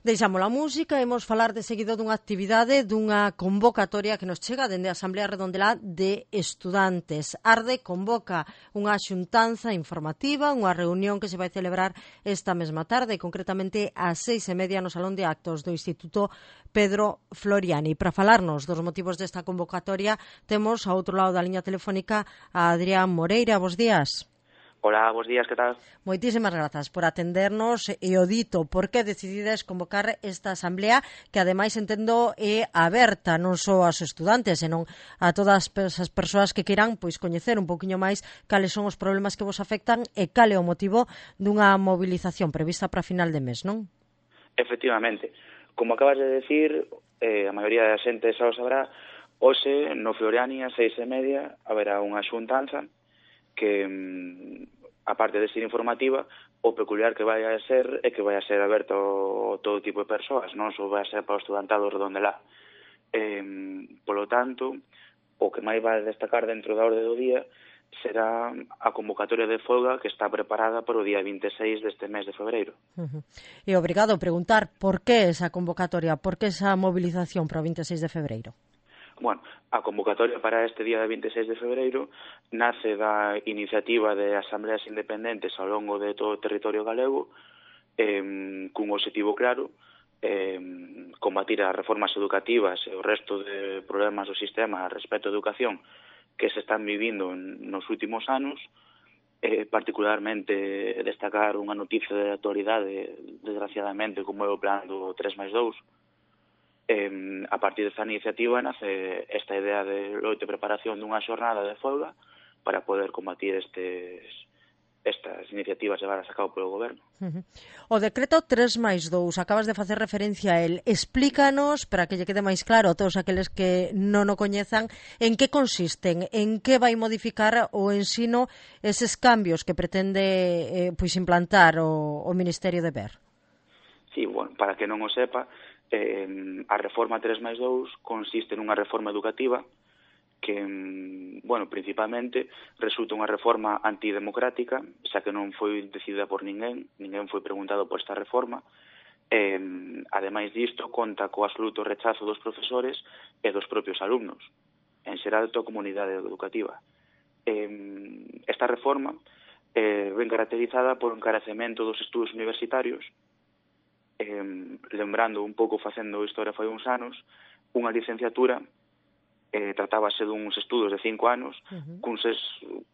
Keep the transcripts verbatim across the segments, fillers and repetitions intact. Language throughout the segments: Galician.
Deixamos a música e imos falar de seguido dunha actividade, dunha convocatoria que nos chega dende a Asamblea Redondelá de Estudantes. Arde convoca unha xuntanza informativa, unha reunión que se vai celebrar esta mesma tarde, concretamente ás seis e media no Salón de Actos do Instituto Pedro Floriani. Para falarnos dos motivos desta convocatoria, temos ao outro lado da liña telefónica a Adrián Moreira. Bos días. Hola, bos días, que tal? Moitísimas grazas por atendernos e o dito, por que decidides convocar esta asamblea que ademais entendo é aberta non só aos estudantes, senón a todas as persoas que queiran pois coñecer un poquinho máis cales son os problemas que vos afectan e cal é o motivo dunha movilización prevista para final de mes, non? Efectivamente, como acabas de decir, eh, a maioría da xente xa o sabrá, hoxe no Floriani a seis e media haberá unha xuntanza que, aparte de ser informativa, o peculiar que vai a ser é que vai a ser aberto a todo tipo de persoas, non só vai a ser para o estudantado Redondelá. Eh, polo tanto, o que máis vai destacar dentro da orde do día será a convocatoria de folga que está preparada para o día vinte e seis deste mes de febreiro. Uh-huh. E obrigado a preguntar por que esa convocatoria, por que esa movilización para o vinte e seis de febreiro? Bueno, a convocatoria para este día de vinte e seis de febreiro nace da iniciativa de asambleas independentes ao longo de todo o territorio galego, eh, cun objetivo claro, eh, combatir as reformas educativas e o resto de problemas do sistema respecto á educación que se están vivindo nos últimos anos, eh, particularmente destacar unha noticia de actualidade, desgraciadamente, como é o plan do tres máis dous. Eh, a partir desta iniciativa nace esta idea de loito e preparación dunha xornada de folga para poder combatir estes, estas iniciativas levadas a cabo polo goberno. Uh-huh. O decreto tres máis dous, acabas de facer referencia a él. Explícanos, para que lle quede máis claro a todos aqueles que non o coñezan, en que consisten, en que vai modificar o ensino eses cambios que pretende eh, pois implantar o, o Ministerio de Ver. Sí, bueno, para que non o sepa, Eh, a reforma tres máis dous consiste nunha reforma educativa que, bueno, principalmente resulta unha reforma antidemocrática, xa que non foi decidida por ninguén, ninguén foi preguntado por esta reforma. Eh, ademais disto, conta co absoluto rechazo dos profesores e dos propios alumnos, en xeral toda a comunidade educativa. Eh, esta reforma eh, ven caracterizada por un encarecemento dos estudos universitarios. Eh, lembrando un pouco, facendo historia foi uns anos, unha licenciatura eh, tratábase duns estudos de cinco anos, uh-huh. cun, ses,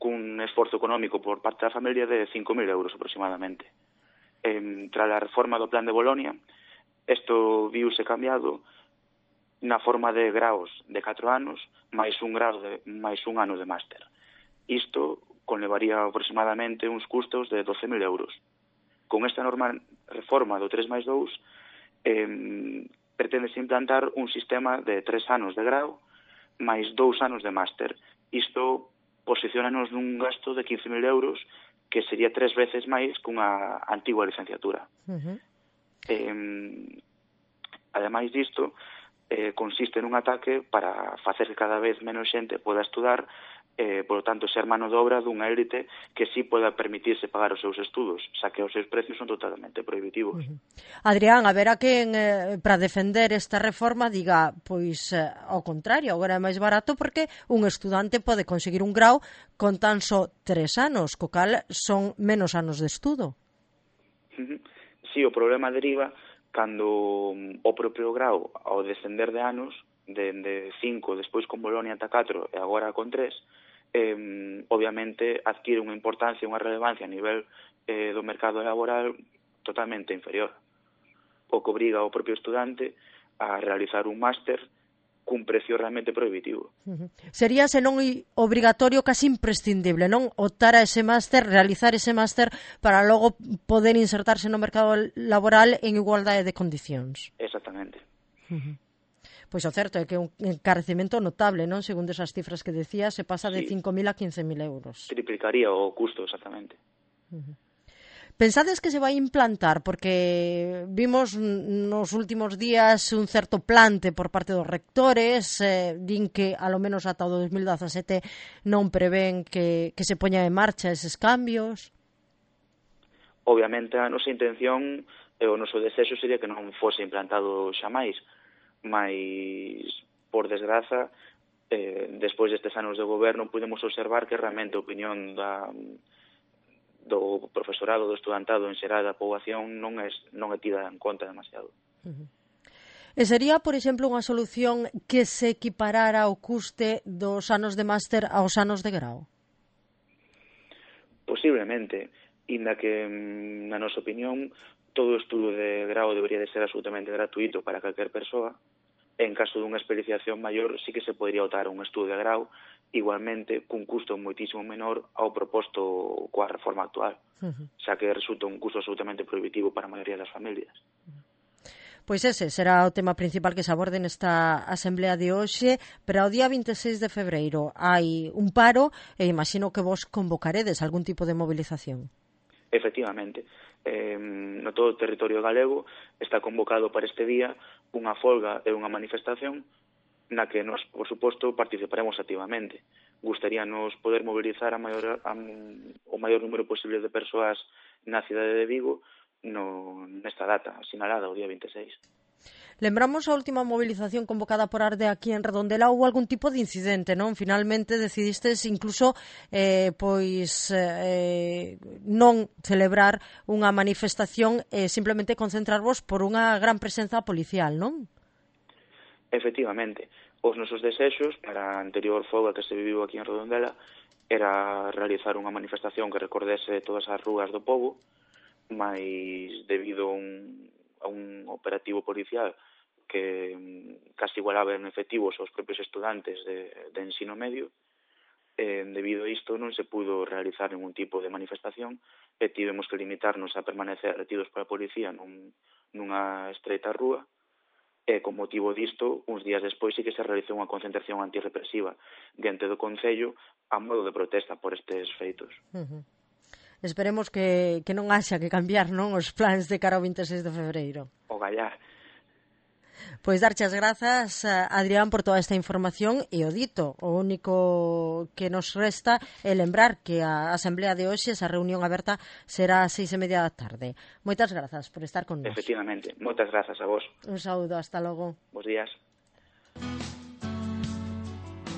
cun esforzo económico por parte da familia de cinco mil euros aproximadamente. Eh, tras a reforma do plan de Bolonia, isto viuse cambiado na forma de graos de catro anos máis un grau de, máis un ano de máster. Isto conlevaría aproximadamente uns custos de doce mil euros. Con esta normal reforma do tres máis dous, eh, pretende implantar un sistema de tres anos de grau máis dous anos de máster. Isto posicionanos nun gasto de quince mil euros, que sería tres veces máis cunha antigua licenciatura. Uh-huh. Eh, ademais disto, eh, consiste nun ataque para facer que cada vez menos xente poda estudar, eh, por lo tanto, ser mano de obra dunha élite que sí poda permitirse pagar os seus estudos, xa que os seus precios son totalmente prohibitivos. Uh-huh. Adrián, a ver a quen eh, para defender esta reforma diga, pois, eh, ao contrario, agora é máis barato porque un estudante pode conseguir un grau con tan só tres anos, co cal son menos anos de estudo. Uh-huh. Sí, o problema deriva cando o propio grau, ao descender de anos, de, de cinco, despois con Bolonia ata catro e agora con tres, Eh, obviamente adquire unha importancia, unha relevancia a nivel eh, do mercado laboral totalmente inferior, o que obriga ao propio estudante a realizar un máster cun precio realmente prohibitivo. Uh-huh. Sería, senón obrigatorio, casi imprescindible, non? Optar a ese máster, realizar ese máster para logo poder insertarse no mercado laboral en igualdade de condicións. Exactamente. Uh-huh. Pois o certo é que é un encarecemento notable, non? Segundo esas cifras que decía, se pasa de sí. cinco mil a quince mil euros. Triplicaría o custo, exactamente. Uh-huh. Pensades que se vai implantar? Porque vimos nos últimos días un certo plante por parte dos rectores, eh, din que alo menos ata o dos mil dezasete non prevén que, que se poña en marcha eses cambios. Obviamente a nosa intención e o noso desexo sería que non fose implantado xamais, mas, por desgraza, eh, despois destes anos de goberno, podemos observar que realmente a opinión da, do profesorado, do estudantado en xeral da poboación non é, non é tida en conta demasiado. Uh-huh. E sería, por exemplo, unha solución que se equiparara o custe dos anos de máster aos anos de grau? Posiblemente, inda que, na nosa opinión, todo estudo de grau debería de ser absolutamente gratuito para calquer persoa. En caso dunha especialización maior, sí que se podría optar a un estudo de grau, igualmente cun custo moitísimo menor ao proposto coa reforma actual, uh-huh. xa que resulta un custo absolutamente prohibitivo para a maioría das familias. Uh-huh. Pois ese será o tema principal que se aborde nesta asamblea de hoxe, pero ao día vinte e seis de febreiro hai un paro e imagino que vos convocaredes algún tipo de movilización. Efectivamente, eh, no todo o territorio galego está convocado para este día unha folga e unha manifestación na que nos, por suposto, participaremos activamente. Gustaríanos poder mobilizar a maior, a, o maior número posible de persoas na cidade de Vigo no, nesta data sinalada, o día vinte e seis. Lembramos a última movilización convocada por Arde aquí en Redondela, houve algún tipo de incidente, non? Finalmente decidistes incluso eh, pois eh, non celebrar unha manifestación e eh, simplemente concentrarvos por unha gran presenza policial, non? Efectivamente, os nosos desexos para a anterior folga que se viviu aquí en Redondela era realizar unha manifestación que recordese todas as rúas do pobo, mas debido a un, a un operativo policial que casi igualaba en efectivos aos propios estudantes de, de ensino medio, eh, debido a isto non se pudo realizar ningún tipo de manifestación e tivemos que limitarnos a permanecer retidos pola policía nun, nunha estreita rúa, e con motivo disto, uns días despois sí que se realizou unha concentración antirrepresiva diante do Concello a modo de protesta por estes feitos. Uh-huh. Esperemos que, que non haxa que cambiar, non, os plans de cara ao vinte e seis de febreiro. O gallar. Pois darche as grazas, Adrián, por toda esta información e o dito. O único que nos resta é lembrar que a Asamblea de hoxe, esa reunión aberta, será ás seis e media da tarde. Moitas grazas por estar con nós. Efectivamente, moitas grazas a vos. Un saúdo, hasta logo. Bos días.